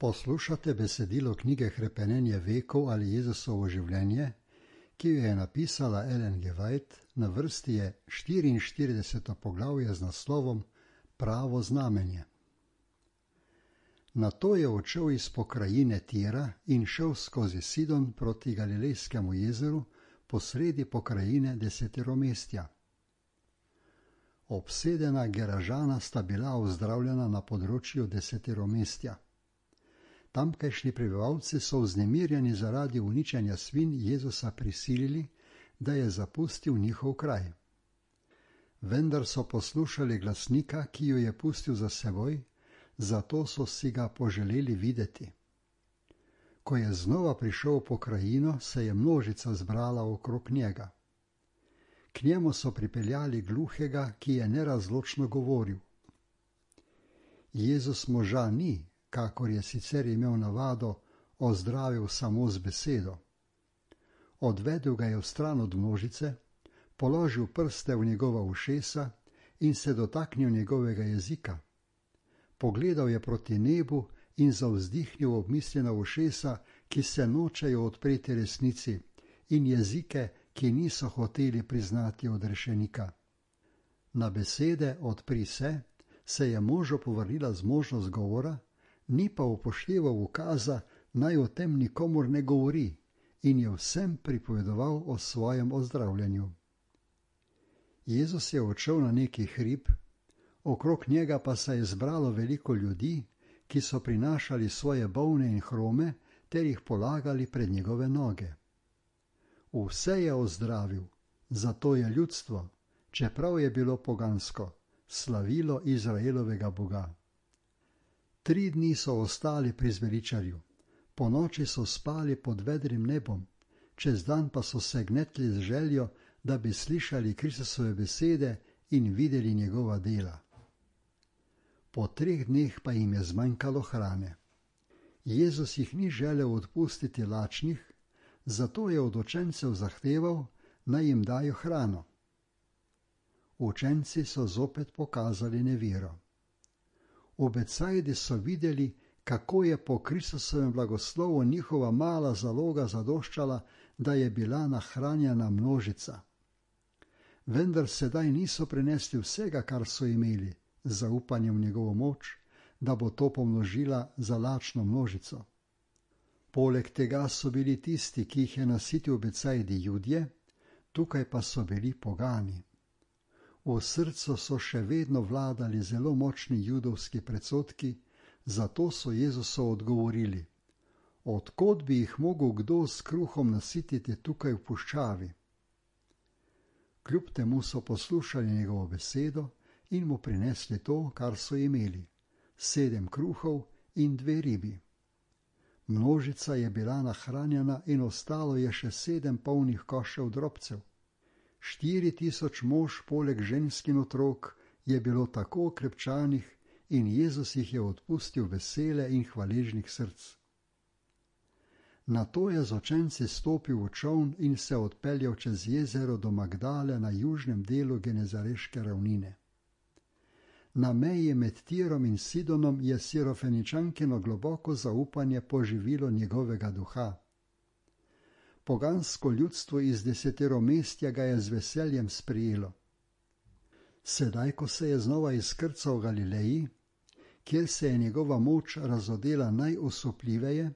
Poslušate besedilo knjige Hrepenenje vekov ali Jezusovo življenje, ki jo je napisala Ellen G. White, na vrsti je 44. poglavje z naslovom Pravo znamenje. Nato je odšel iz pokrajine Tira in šel skozi Sidon proti Galilejskemu jezeru posredi pokrajine Desetiromestja. Obsedena Geražana sta bila ozdravljena na področju Desetiromestja. Tamkajšnji prebivalci so vznemirjeni zaradi uničenja svin Jezusa prisilili, da je zapustil njihov kraj. Vendar so poslušali glasnika, ki jo je pustil za seboj, zato so si ga poželeli videti. Ko je znova prišel v pokrajino, se je množica zbrala okrog njega. K njemu so pripeljali gluhega, ki je nerazločno govoril. Jezus moža ni, kakor je sicer imel navado, ozdravil samo z besedo. Odvedel ga je vstran od množice, položil prste v njegova ušesa in se dotaknil njegovega jezika. Pogledal je proti nebu in zavzdihnil obmišljena ušesa, ki se nočejo odpreti resnici, in jezike, ki niso hoteli priznati odrešenika. Na besede odpri se je možu povrnila zmožnost govora, ni pa upošteval ukaza, naj o tem nikomur ne govori, in je vsem pripovedoval o svojem ozdravljanju. Jezus je odšel na neki hrib, okrog njega pa se je zbralo veliko ljudi, ki so prinašali svoje bolne in hrome ter jih polagali pred njegove noge. Vse je ozdravil, zato je ljudstvo, čeprav je bilo pogansko, slavilo Izraelovega Boga. 3 dni so ostali pri zveličarju, ponoči so spali pod vedrim nebom, čez dan pa so se gnetli z željo, da bi slišali Kristusove besede in videli njegova dela. Po 3 dneh pa jim je zmanjkalo hrane. Jezus jih ni želel odpustiti lačnih, zato je od učencev zahteval, naj jim dajo hrano. Učenci so zopet pokazali nevero. V Becajdi so videli, kako je po Kristusovem blagoslovu njihova mala zaloga zadoščala, da je bila nahranjena množica. Vendar sedaj niso prinesli vsega, kar so imeli, z zaupanjem v njegovo moč, da bo to pomnožila za lačno množico. Poleg tega so bili tisti, ki jih je nasitil v Becajdi, Judje, tukaj pa so bili pogani. V srcu so še vedno vladali zelo močni judovski predsodki, zato so Jezusu odgovorili: od kod bi jih mogel kdo s kruhom nasititi tukaj v puščavi? Kljub temu so poslušali njegovo besedo in mu prinesli to, kar so imeli, 7 kruhov in 2 ribi. Množica je bila nahranjena in ostalo je še 7 polnih košev drobcev. 4000 mož poleg žensk in otrok je bilo tako okrepčanih in Jezus jih je odpustil vesele in hvaležnih src. Nato je z učenci stopil v čoln in se odpeljal čez jezero do Magdale na južnem delu Genezareške ravnine. Na meji med Tirom in Sidonom je Sirofeničankino globoko zaupanje poživilo njegovega duha. Pogansko ljudstvo iz Desetiromestja ga je z veseljem sprijelo. Sedaj, ko se je znova izkrcal v Galileji, kjer se je njegova moč razodela najosupljiveje,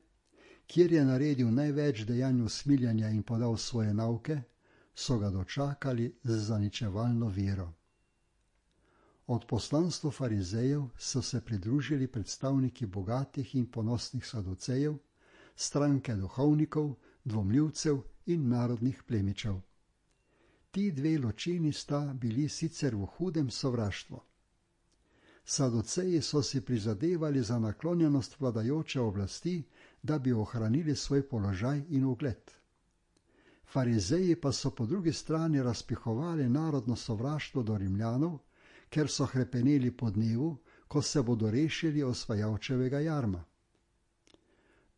kjer je naredil največ dejanj usmiljanja in podal svoje nauke, so ga dočakali z zaničevalno vero. Od poslanstva farizejev so se pridružili predstavniki bogatih in ponosnih saducejev, stranke duhovnikov, dvomljivcev in narodnih plemičev. Ti 2 ločini sta bili sicer v hudem sovraštvu. Saduceji so si prizadevali za naklonjenost vladajoče oblasti, da bi ohranili svoj položaj in ugled. Farizeji pa so po drugi strani razpihovali narodno sovraštvo do Rimljanov, ker so hrepeneli po dnevu, ko se bodo rešili osvajalčevega jarma.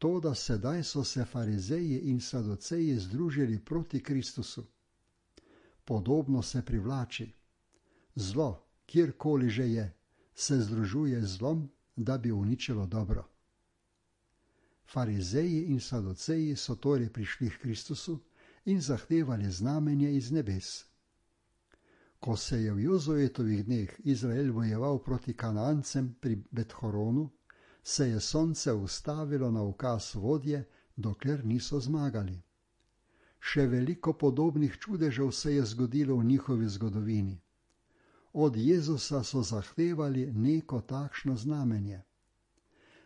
Toda sedaj so se farizeji in saduceji združili proti Kristusu. Podobno se privlači. Zlo, kjerkoli že je, se združuje z zlom, da bi uničilo dobro. Farizeji in saduceji so torej prišli k Kristusu in zahtevali znamenje iz nebes. Ko se je v Jozuetovih dneh Izrael bojeval proti Kanancem pri Bethhoronu, se je sonce ustavilo na ukaz vodje, dokler niso zmagali. Še veliko podobnih čudežev se je zgodilo v njihovi zgodovini. Od Jezusa so zahtevali neko takšno znamenje.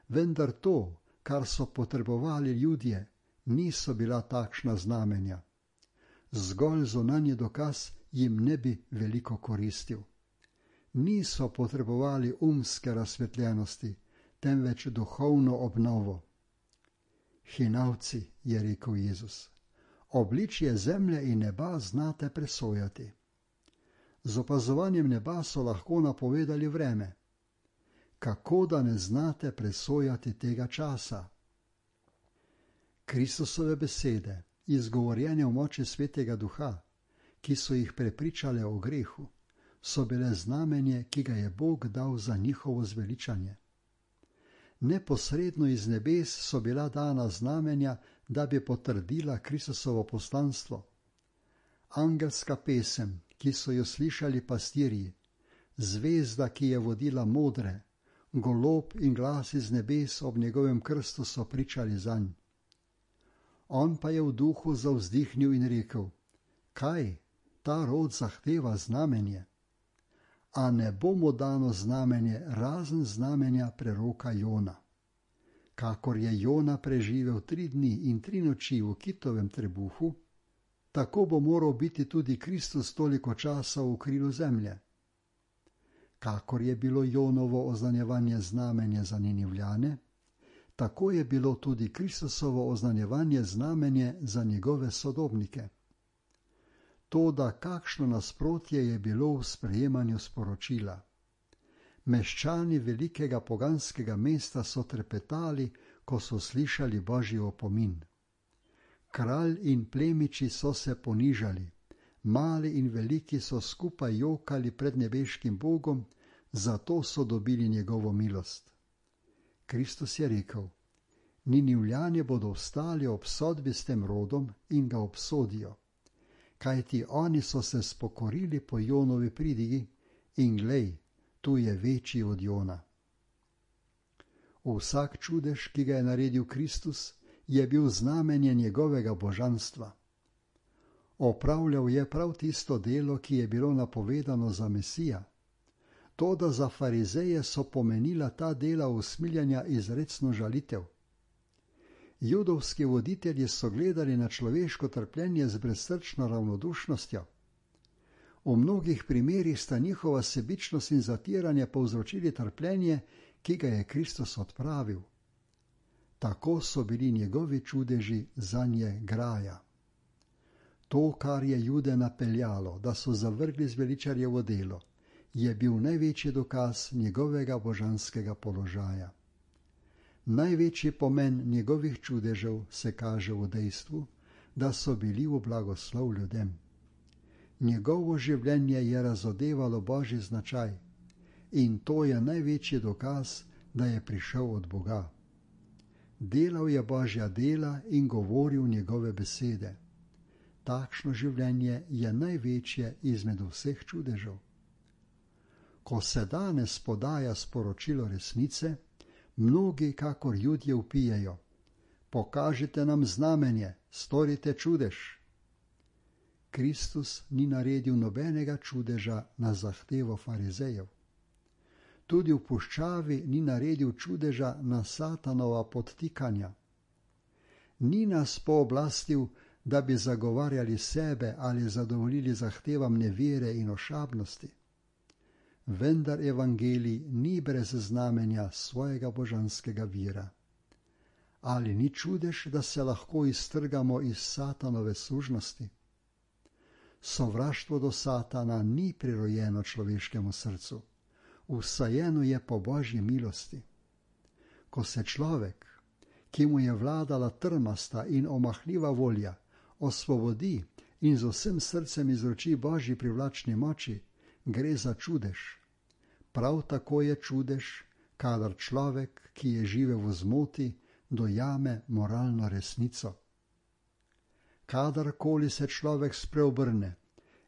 Vendar to, kar so potrebovali ljudje, niso bila takšna znamenja. Zgolj zunanji dokaz jim ne bi veliko koristil. Niso potrebovali umske razsvetljenosti, temveč duhovno obnovo. Hinavci, je rekel Jezus, obličje zemlje in neba znate presojati. Z opazovanjem neba so lahko napovedali vreme. Kako da ne znate presojati tega časa? Kristusove besede, izgovorjene v moči Svetega Duha, ki so jih prepričale o grehu, so bile znamenje, ki ga je Bog dal za njihovo zveličanje. Neposredno iz nebes so bila dana znamenja, da bi potrdila Kristusovo poslanstvo. Angelska pesem, ki so jo slišali pastirji, zvezda, ki je vodila modre, golob in glas iz nebes ob njegovem krstu so pričali zanj. On pa je v duhu zavzdihnil in rekel: Kaj, ta rod zahteva znamenje? A ne bo mu dano znamenje razen znamenja preroka Jona. Kakor je Jona preživel 3 dni in 3 noči v kitovem trebuhu, tako bo moral biti tudi Kristus toliko časa v krilu zemlje. Kakor je bilo Jonovo oznanjevanje znamenje za Ninivljane, tako je bilo tudi Kristusovo oznanjevanje znamenje za njegove sodobnike. Toda kakšno nasprotje je bilo v sprejemanju sporočila. Meščani velikega poganskega mesta so trepetali, ko so slišali Božji opomin. Kralj in plemiči so se ponižali, mali in veliki so skupaj jokali pred nebeškim Bogom, zato so dobili njegovo milost. Kristus je rekel: Ninivljani bodo vstali ob sodbi s tem rodom in ga obsodijo, kajti oni so se spokorili po Jonovi pridigi in glej, tu je večji od Jona. Vsak čudež, ki ga je naredil Kristus, je bil znamenje njegovega božanstva. Opravljal je prav tisto delo, ki je bilo napovedano za Mesija. Toda za farizeje so pomenila ta dela usmiljanja izrecno žalitev. Judovski voditelji so gledali na človeško trpljenje z brezsrčno ravnodušnostjo. V mnogih primerih sta njihova sebičnost in zatiranje povzročili trpljenje, ki ga je Kristus odpravil. Tako so bili njegovi čudeži zanje graja. To, kar je Jude napeljalo, da so zavrgli zveličarjevo delo, je bil največji dokaz njegovega božanskega položaja. Največji pomen njegovih čudežev se kaže v dejstvu, da so bili v blagoslov ljudem. Njegovo življenje je razodevalo Božji značaj in to je največji dokaz, da je prišel od Boga. Delal je Božja dela in govoril njegove besede. Takšno življenje je največje izmed vseh čudežev. Ko se danes podaja sporočilo resnice, mnogi kakor Judje vpijejo: Pokažite nam znamenje, storite čudež. Kristus ni naredil nobenega čudeža na zahtevo farizejev. Tudi v puščavi ni naredil čudeža na Satanova podtikanja. Ni nas pooblastil, da bi zagovarjali sebe ali zadovoljili zahtevam nevere in ošabnosti. Vendar evangelij ni brez znamenja svojega božanskega vira. Ali ni čudež, da se lahko iztrgamo iz Satanove sužnosti? Sovraštvo do Satana ni prirojeno človeškemu srcu, vsajeno je po Božji milosti. Ko se človek, ki mu je vladala trmasta in omahljiva volja, osvobodi in z vsem srcem izroči Božji privlačni moči, gre za čudež. Prav tako je čudež, kadar človek, ki je živel v zmoti, dojame moralno resnico. Kadarkoli se človek spreobrne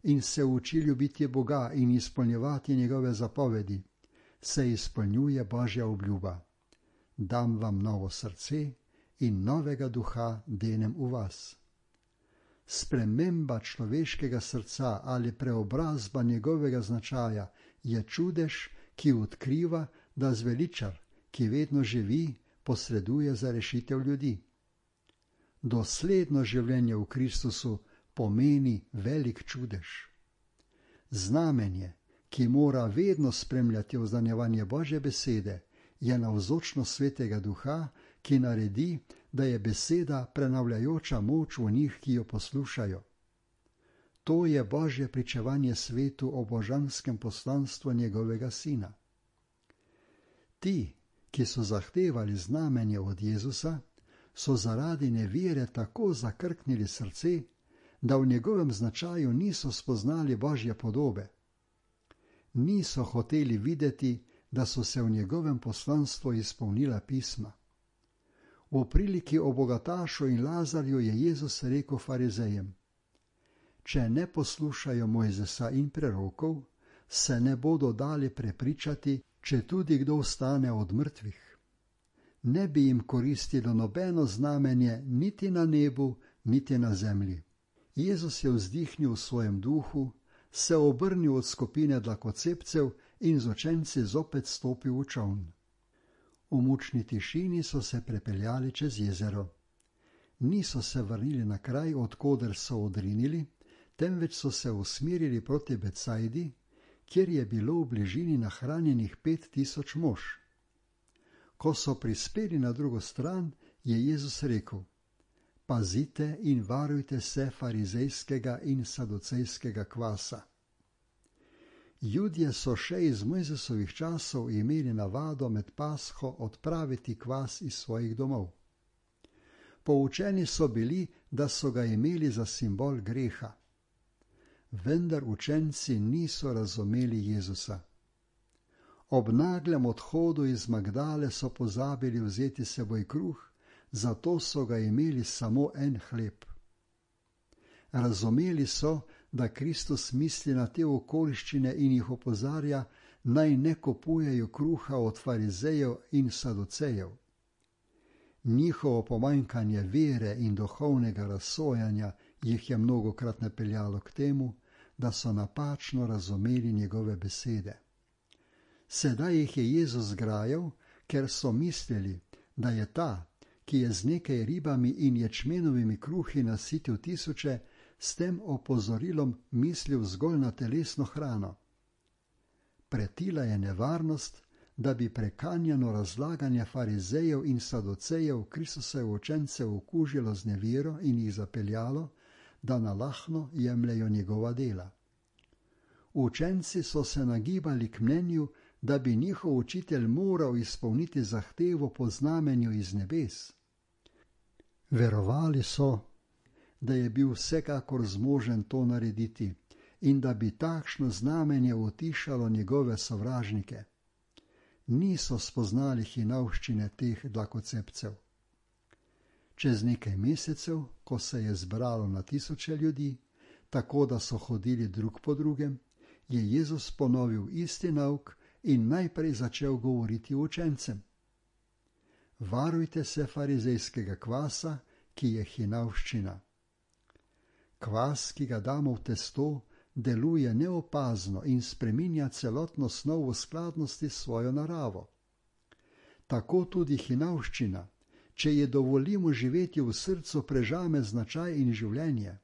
in se uči ljubiti Boga in izpolnjevati njegove zapovedi, se izpolnjuje Božja obljuba: dam vam novo srce in novega duha denem v vas. Sprememba človeškega srca ali preobrazba njegovega značaja je čudež, ki odkriva, da zveličar, ki vedno živi, posreduje za rešitev ljudi. Dosledno življenje v Kristusu pomeni velik čudež. Znamenje, ki mora vedno spremljati oznanjevanje Božje besede, je navzočnost Svetega Duha, ki naredi, da je beseda prenavljajoča moč v njih, ki jo poslušajo. To je Božje pričevanje svetu o božanskem poslanstvu njegovega Sina. Ti, ki so zahtevali znamenje od Jezusa, so zaradi nevere tako zakrknili srce, da v njegovem značaju niso spoznali Božje podobe. Niso hoteli videti, da so se v njegovem poslanstvu izpolnila pisma. V priliki o bogatašu in Lazarju je Jezus rekel farizejem: če ne poslušajo Mojzesa in prerokov, se ne bodo dali prepričati, če tudi kdo vstane od mrtvih. Ne bi jim koristilo nobeno znamenje niti na nebu, niti na zemlji. Jezus je vzdihnil v svojem duhu, se obrnil od skupine dlakocepcev in z učenci zopet stopil v čoln. V mučni tišini so se prepeljali čez jezero. Niso se vrnili na kraj, odkoder so odrinili, temveč so se usmerili proti Betsajdi, kjer je bilo v bližini nahranjenih 5000 mož. Ko so prispeli na drugo stran, je Jezus rekel: pazite in varujte se farizejskega in saducejskega kvasa. Judje so še iz Mojzesovih časov imeli navado med Pasho odpraviti kvas iz svojih domov. Poučeni so bili, da so ga imeli za simbol greha. Vendar učenci niso razumeli Jezusa. Ob naglem odhodu iz Magdale so pozabili vzeti s seboj kruh, zato so ga imeli samo en hleb. Razumeli so, da Kristus misli na te okoliščine in jih opozarja, naj ne kupujejo kruha od farizejev in saducejev. Njihovo pomanjkanje vere in duhovnega razsojanja jih je mnogokrat napeljalo k temu, da so napačno razumeli njegove besede. Sedaj jih je Jezus grajal, ker so mislili, da je ta, ki je z nekaj ribami in ječmenovimi kruhi nasitil 1000, s tem opozorilom mislil zgolj na telesno hrano. Pretila je nevarnost, da bi prekanjeno razlaganje farizejev in saducejev Kristusove učence okužilo z nevero in jih zapeljalo, da nalahno jemljejo njegova dela. Učenci so se nagibali k mnenju, da bi njihov učitelj moral izpolniti zahtevo po znamenju iz nebes. Verovali so, da je bil vsekakor zmožen to narediti in da bi takšno znamenje utišalo njegove sovražnike. Niso spoznali hinavščine teh dlakocepcev. Čez nekaj mesecev, ko se je zbralo na 1000 ljudi, tako da so hodili drug po drugem, je Jezus ponovil isti nauk in najprej začel govoriti učencem: varujte se farizejskega kvasa, ki je hinavščina. Kvas, ki ga damo v testo, deluje neopazno in spreminja celotno snov v skladnosti s svojo naravo. Tako tudi hinavščina, če je dovolimo živeti v srcu, prežame značaj in življenje.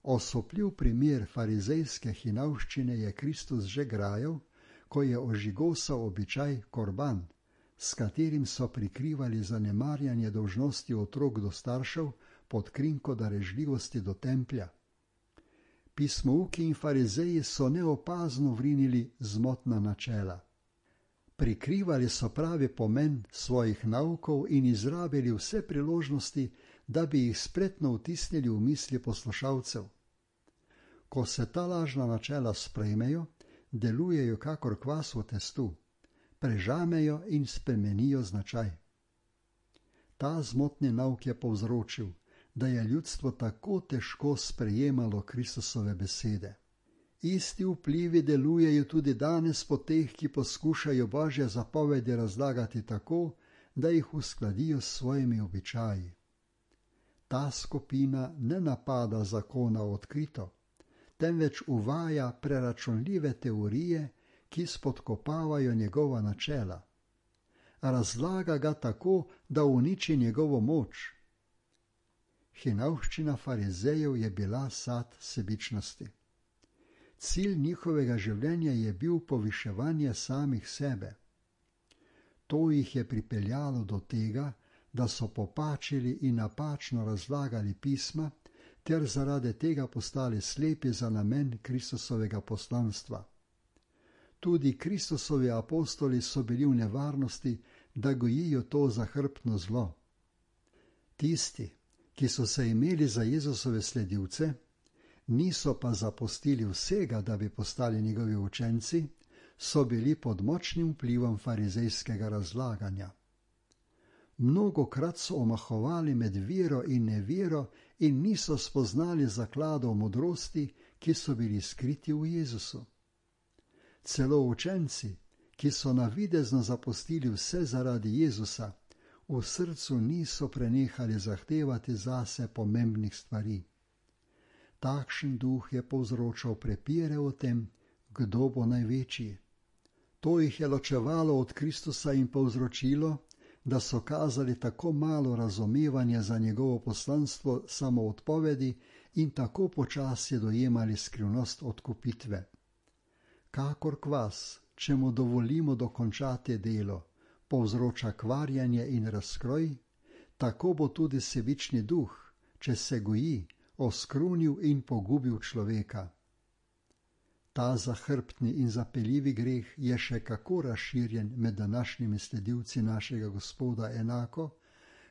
Osupljiv primer farizejske hinavščine je Kristus že grajal, ko je ožigosal običaj korban, s katerim so prikrivali zanemarjanje dolžnosti otrok do staršev pod krinko darežljivosti do templja. Pismouki in farizeji so neopazno vrinili zmotna načela. Prikrivali so pravi pomen svojih naukov in izrabili vse priložnosti, da bi jih spretno vtisnili v misli poslušalcev. Ko se ta lažna načela sprejmejo, delujejo kakor kvas v testu, prežamejo in spremenijo značaj. Ta zmotni nauk je povzročil, da je ljudstvo tako težko sprejemalo Kristusove besede. Isti vplivi delujejo tudi danes po teh, ki poskušajo Božje zapovedi razlagati tako, da jih uskladijo s svojimi običaji. Ta skupina ne napada zakona odkrito, temveč uvaja preračunljive teorije, ki spodkopavajo njegova načela. Razlaga ga tako, da uniči njegovo moč. Hinavščina farizejev je bila sad sebičnosti. Cilj njihovega življenja je bil poviševanje samih sebe. To jih je pripeljalo do tega, da so popačili in napačno razlagali pisma, ter zaradi tega postali slepi za namen Kristusovega poslanstva. Tudi Kristusovi apostoli so bili v nevarnosti, da gojijo to zahrbtno zlo. Tisti, ki so se imeli za Jezusove sledilce, niso pa zapustili vsega, da bi postali njegovi učenci, so bili pod močnim vplivom farizejskega razlaganja. Mnogokrat so omahovali med vero in nevero in niso spoznali zakladov modrosti, ki so bili skriti v Jezusu. Celo učenci, ki so navidezno zapustili vse zaradi Jezusa, v srcu niso prenehali zahtevati zase pomembnih stvari. Takšen duh je povzročal prepire o tem, kdo bo največji. To jih je ločevalo od Kristusa in povzročilo, da so kazali tako malo razumevanja za njegovo poslanstvo samoodpovedi in tako počasi dojemali skrivnost odkupitve. Kakor kvas, če mu dovolimo dokončati delo, povzroča kvarjanje in razkroj, tako bo tudi sebični duh, če se goji, oskrunil in pogubil človeka. Ta zahrbtni in zapeljivi greh je še kako razširjen med današnjimi sledilci našega Gospoda enako,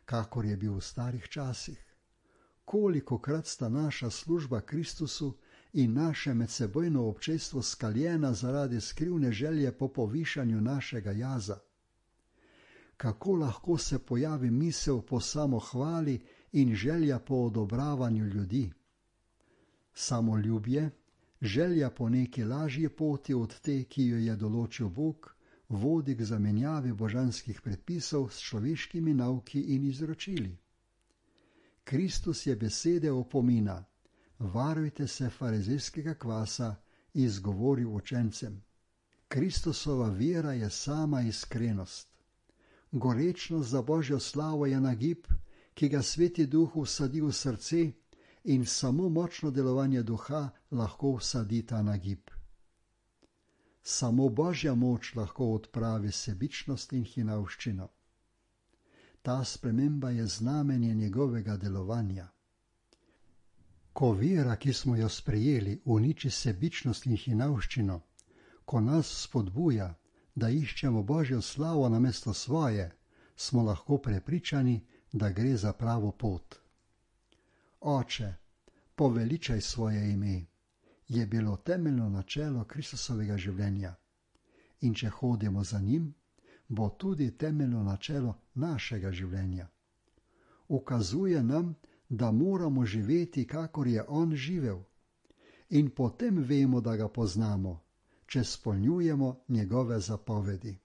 kakor je bil v starih časih. Kolikokrat sta naša služba Kristusu in naše medsebojno občestvo skaljena zaradi skrivne želje po povišanju našega jaza. Kako lahko se pojavi misel po samohvali in želja po odobravanju ljudi? Samoljubje, želja po neki lažji poti od te, ki jo je določil Bog, vodi k zamenjavi božanskih predpisov s človeškimi nauki in izročili. Kristus je besede opomina: varujte se farizejskega kvasa, izgovoril učencem. Kristusova vera je sama iskrenost. Gorečnost za Božjo slavo je nagib, ki ga Sveti Duh vsadi v srce, in samo močno delovanje duha lahko vsadi ta nagib. Samo Božja moč lahko odpravi sebičnost in hinavščino. Ta sprememba je znamenje njegovega delovanja. Ko vera, ki smo jo sprejeli, uniči sebičnost in hinavščino, ko nas spodbuja, da iščemo Božjo slavo namesto svoje, smo lahko prepričani, da gre za pravo pot. Oče, poveličaj svoje ime, je bilo temeljno načelo Kristusovega življenja. In če hodimo za njim, bo tudi temeljno načelo našega življenja. Ukazuje nam, da moramo živeti, kakor je on živel. In potem vemo, da ga poznamo, če spolnjujemo njegove zapovedi.